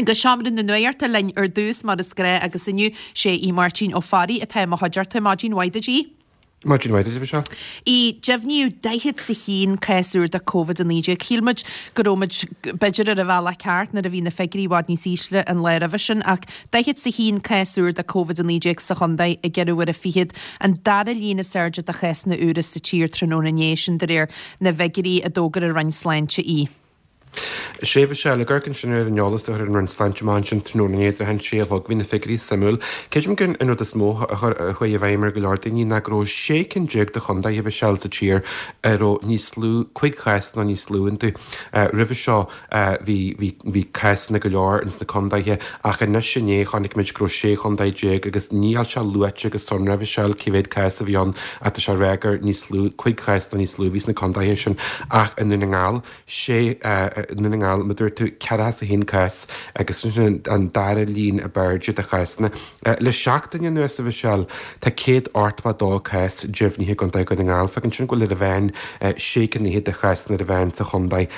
Go seomra na nuachta linn ar dtús mar is gnáth agus inniu sé Aodh Máirtín Ó Fearraigh atá i mo chuideachta. Maidin mhaith duit Aodh. Maidin mhaith duit a Mhichelle. Aodh, deimhníodh 40 's a haon cás úr de Covid-19. Shíl muid go raibh muid b'fhéidir ar an bhealach ceart nuair a bhí na figiúirí i bhfad níos ísle an lá roimhe sin ach 40 's a haon cás úr de Covid-19 sa chontae i gceithre huaire fichead, an dara líon is airde de chásanna úra sa tír tráthnóna inné, sin de réir na bhfigiúirí a d'fhógair an Roinn Sláinte. Aodh. Sea, a Mhichelle, ag amharc ansin ar an eolas a chuir an Roinn Sláinte amach ansin tráthnóna inné, i dtrátha an sé a chlog, bhí na figiúirí suimiúil. Creidim gur an rud is mó a chuir, a chuaigh i bhfeidhm ar go leor daoine ná go raibh 16 cinn de chontaetha, a Mhichelle, sa tír a raibh níos lú, 5 chás nó níos lú iontu. Roimhe seo bhí, bhí, bhí cásanna go leor ins na contaetha ach anois inné chonaic muid go raibh 16 chontae agus níl sé luaite go sonrath, a Mhichelle, cé mhéad cás a bhí ann ach tá sé ag rá gur níos lú, 5 chás nó níos lú a bhí sna contaetha sin ach i nDún na nGall, sé i nDún na nGall, mar a dúirt tú, ceathracha is a haon cás agus sin an dara líon ab airde de chásanna. Le seachtain anuas, a Mhichelle, tá 182 cás deimhnithe i gContae Dhún na nGall. Fágann sin go bhfuil ar an mheán sé cinn fhichead de chásanna ar an mheán sa chontae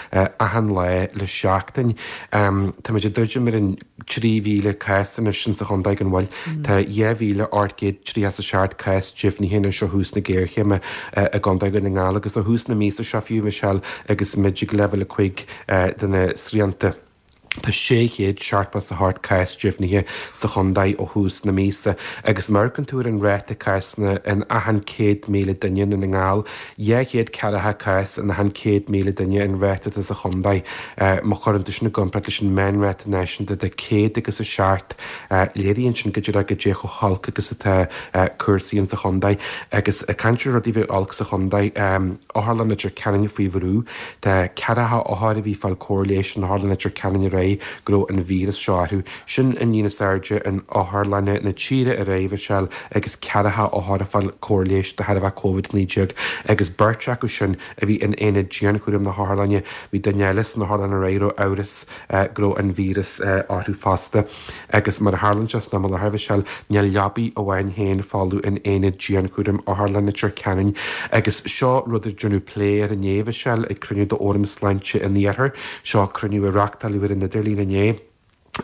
achan lá le seachtain. Táimid ag druidim ar an. 3,000 cás anois insa chontae gan mhoill. Tá 2,837 cás deimhnithe anois ó thús na géarchéime i gContae Dhún na nGall agus ó thús na míosa seo fiú, Michelle, agus muid ag leibhéal 5 de na srianta. Tá 678 cás deimhnithe sa chontae ó thús na míosa agus má amharcann tú ar an ráta cásanna in achan 100,000 duine i nDún na nGall, 240 cás in achan 100,000 duine an ráta atá sa chontae. Má chuireann tú sin i gcomparáid leis an meánráta náisiúnta de 100 agus 7, léiríonn sin go díreach goidé chomh holc agus atá cúrsaí insa chontae. Agus ag caint ar rudaí a bheith olc sa chontae, Otharlann Leitir Ceanainn faoi bhrú. Tá ceathracha othar a bhí ag fáil cóir leighis in Otharlann Leitir Ceanainn aréir go raibh an víreas seo orthu. Sin an líon is airde in otharlanna na tíre aréir, a Mhichelle, agus ceathracha othar ag fáil cóir leighis de thairbhe Covid-19 agus beirt acu sin a bhí in aonad dianchúraim na hotharlainne. Bhí duine eile san otharlann aréir a raibh amhras go raibh an víreas orthu fosta. Agus mar a tharlaíonn sé san am i láthair, a Mhichelle, níl leabaidh amháin féin folamh in aonad dianchúraim Otharlann Leitir Ceanainn. Agus seo rud ar deineadh plé air inné, a Mhichelle, ag cruinniú d'Fhóram Sláinte an Iarthair. Seo cruinniú a reachtáileadh ar an idirlíon inné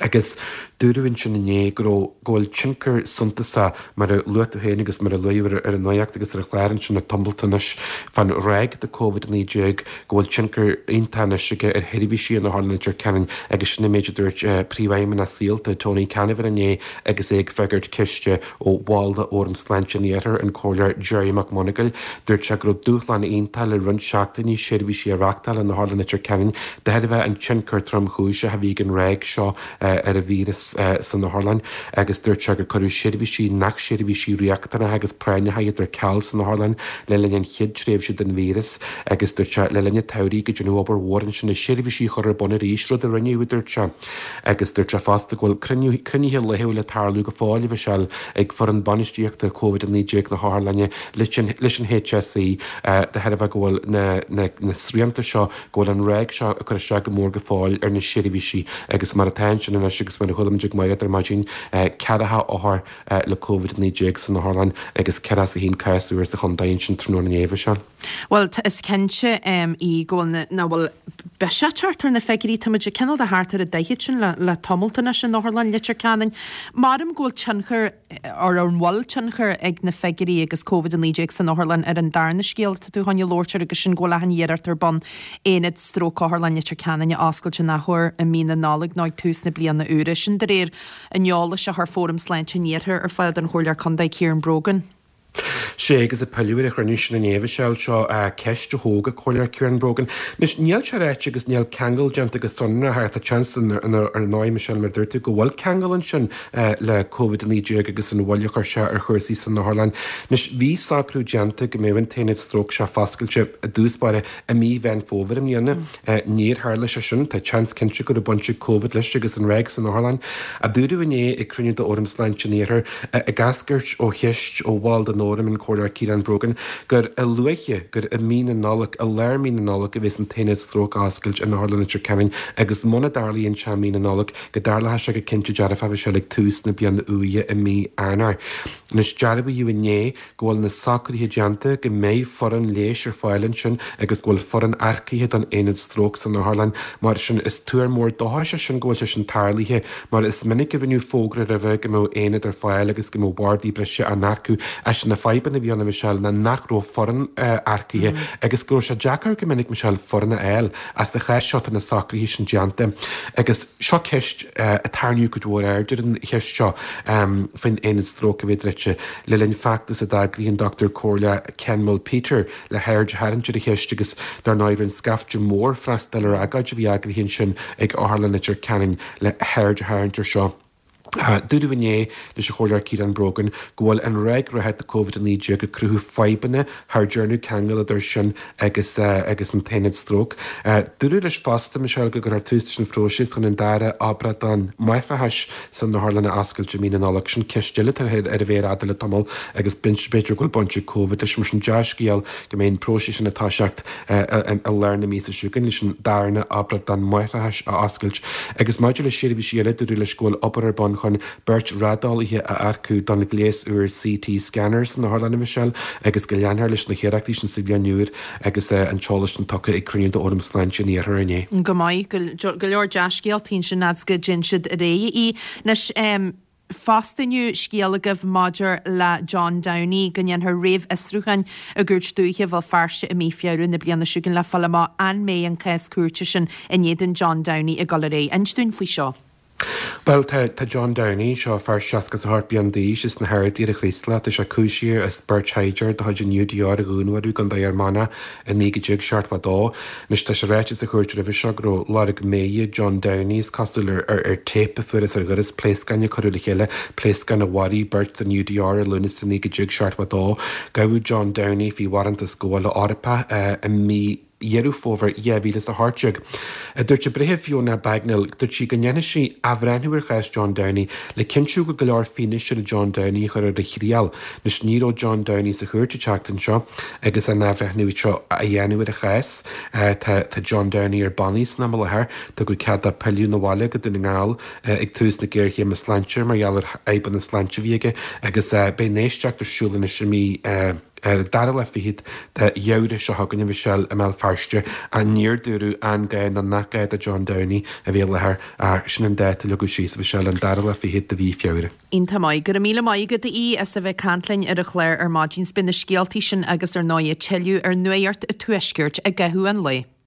agus dúradh ansin inné go raibh, go bhfuil tionchar suntasach, mar a luaigh tú féin agus mar a luadh ar an nuacht agus ar an chlár ansin le tamalt anois, fán ráig de Covid-19, go bhfuil tionchar iontach anois aige ar sheirbhísí in Otharlann Leitir Ceanainn agus sin an méid a dúirt Príomhfheidhmeannach Saolta, Tony Canavan inné agus é ag freagairt ceiste ó bhall de Fhóram Sláinte an Iarthair, an Comhairleoir Gerry Mac Monagail. Dúirt sé go raibh dúshlán iontach le roinnt seachtainí seirbhísí a reachtáil in Otharlann Leitir Ceanainn de thairbhe an tionchar tromchúiseach a bhí ag an ráig seo ar an víreas san otharlann agus dúirt sé gur cuireadh seirbhísí nach seirbhísí riachtanacha agus práinneacha iad ar ceal san otharlann le linn an chéad tréimhse den víreas agus dúirt sé le linn an tsamhraidh go deineadh obair mhór ansin le seirbhísí a chur ar bun arís, rud a rinneadh, a dúirt sé. Agus dúirt sé fosta go bhfuil cruinnithe laethúil ag tarlú go fóill, a Mhichelle, ag foireann bainistíochta Covid-19 na hotharlainne leis an HSE de thairbhe go bhfuil na srianta seo, go bhfuil an ráig seo ag cur isteach go mór go fóill ar na seirbhísí agus mar atá ansin anois agus mar a chuala muid ag Mairéad ar maidin, 40 othar le Covid-19 san otharlann agus 41 cás úr sa chontae ansin tráthnóna inné, a Mhichelle. Bhuel, is cinnte í go bhfuil na, nach bhfuil biseach teacht ar na figiúirí, tá muid ag cineál de thart ar an 40 sin le, le tamalt anois in Otharlann Leitir Ceanainn. Maram go bhfuil tionchar, or an bhfuil tionchar ag na figiúirí agus Covid-19 san otharlann ar an darna scéal atá tú chun a labhairt air agus sin go bhfuil achan iarracht ar bun aonad stróc Otharlann Leitir Ceanainn a oscailt in athuair i mí na Nollag nó ag tús na bliana úire. Sin de réir an eolais a chuir Fóram Sláinte an Iarthair ar fáil don Chomhairleoir Contae Kieran Brogan. Sea, agus ag pilleadh ar an chruinniú sin inné, a Mhichelle, seo ceist a thóg an Comhairleoir Kieran Brogan. Anois, níl sé ráite agus níl ceangal déanta go sonrach ach tá seans ar ndóigh, Michelle, mar a dúirt tú, go bhfuil ceangal ansin le Covid-19 agus an mhoill a chuir sé ar chúrsaí san otharlann. Anois, bhí socrú déanta go mbeadh an t-aonad stróc seo foscailte i dtús báire i mí Mheán Fómhair i mbliana. Níor tharla sé sin. Tá seans cinnte go raibh baint ag Covid leis agus an ráig san otharlann. A dúradh inné ag cruinniú d'Fhóram Sláinte an Iarthair, ag eascairt ó cheist ó bhall den Fhóram, an. Chomhairleoir Ciarán Brogan gur a luaithe gur i mí na Nollag, i lár mí na Nollag a bheas an t-aonad stróc á oscailt in Otharlann Leitir Ceanainn agus muna dtarlaíonn sé i mí na Nollag go dtarlóidh sé go cinnte dearfach a Mhichelle ag tús na bliana úire i mí Eanáir. Anois dearbhaíodh inné go bhfuil na socruithe déanta, go mbeidh foireann leighis ar fáil ansin agus go bhfuil foireann earcaithe don aonad stróc san otharlann. Mar sin, is tuar mór dóchais é sin go bhfuil sé sin tarlaithe, mar is minic a rinneadh fógra roimhe go mbeadh aonad ar fáil agus go mbeadh bardaí breise á n-earcú. Ach na fadhbanna a bhí ann, a Mhichelle, ná nach raibh foireann earcaithe agus go raibh sé deacair go minic, Michelle, foireann a fháil. Ach sa chás seo tá na socruithe sin déanta. Agus seo ceist a tarraingíodh cuid mhór aird ar an cheist seo faoin aonad stróc a bheith druidte. Le linn feachtas a d'eagraigh an Dochtúir Comhairleach Ken Mulpeter le haird a tharraingt ar an cheist agus dar ndóigh rinne scaifte mór freastal ar agóid a bhí eagraithe ansin ag Otharlann Leitir Ceanainn le haird a tharraingt ar seo. Dúradh inné leis an Chomhairleoir Ciarán Brogan go bhfuil an ráig reatha de Covid-19 ag cruthú fadhbanna thar deireanach ceangal idir sin agus agus an t-aonad stróc. Dúradh leis fosta, Michelle, go gcuirfear tús leis an phróiseas chun an dara obrádán máithreachais san otharlann a oscailt i mí na Nollag. Sin ceist eile atá ar an mhéar fhada le tamall agus b'fhéidir go bhfuil baint ag Covid leis. Mar sin dea-scéal go mbeidh an próiseas sin ag toiseacht i lár na míosa seo chugainn leis an darna obrádán máithreachais a oscailt. Agus maidir le seirbhísí eile, dúradh leis go bhfuil obair ar bun chun beirt raideolaithe a earcú don ghléas úr CT scanner san otharlann, a Mhichelle, agus go leanfar leis na hiarrachtaí sin sa bhliain úr agus an t-eolas sin tugtha ag cruinniú d'Fhóram Sláinte an Iarthair inné. Go maith. Go leor dea-scéaltaí ansin fhad 's go dtéann siad ar aghaidh í. Anois, fosta inniu, scéal agaibh maidir le John Downey, go ndéanfar réamhfhiosrúchán i gCúirt Dúiche Bhéal Feirste i mí Feabhra na bliana seo chugainn le fáil amach an mbeidh an cás cúirte sin in éadan John Downey ag dul ar aghaidh. Inis dúinn faoi seo. Bhuel, tá, tá John Downey, seo fear 68 bliain d'aois as na hArdaí ar an Chraoslach, tá sé cúisithe as beirt shaighdiúir de chuid an UDR a dhúnmharú i gContae Fhear Manach i 1972. Anois, tá sé ráite sa chúirt roimhe seo go raibh lorg méire John Downey, is cosúil, ar, ar, ar téip a fuarthas ar dhoras pléascáin a cuireadh le chéile, pléascáin a mharaigh beirt den UDR i Lúnasa 1972. Gabhadh John Downey faoi bharántas gabhála Eorpach i mí Dheireadh Fómhair 2018. Dúirt an Breitheamh Fiona Bagnall, dúirt sí go ndéanfaidh sí athbhreithniú ar chás John Downey le cinntiú go bhfuil go leor fianaise le John Downey a chur ar a thriail. Anois ní raibh John Downey sa chúirt an tseachtain seo agus an athbhreithniú seo á dhéanamh ar a chás. Tá tá John Downey ar bannaí san am i láthair. Tugadh cead dó pilleadh 'na bhaile go Dún na nGall ag tús na géarchéime sláinte mar gheall ar fhadhbanna sláinte a bhí aige agus beidh an éisteacht ar siúl anois i mí Ar an dara lá fichead de Fheabhra seo chugainn, a Mhichelle, i mBéal Feirste, ach níor dúradh an gá nó nach gá do John Downey a bheith i láthair ach sin an dáta a leagadh síos, a Mhichelle, an dara lá fichead de mhí Feabhra. Iontach maith. Go raibh míle maith agat, a Aoidh, as a bheith ag caint linn ar an chlár ar maidin. 'S beidh na scéaltaí sin agus ar ndóigh tuilleadh ar Nuacht an Tuaiscirt i gcaitheamh an lae.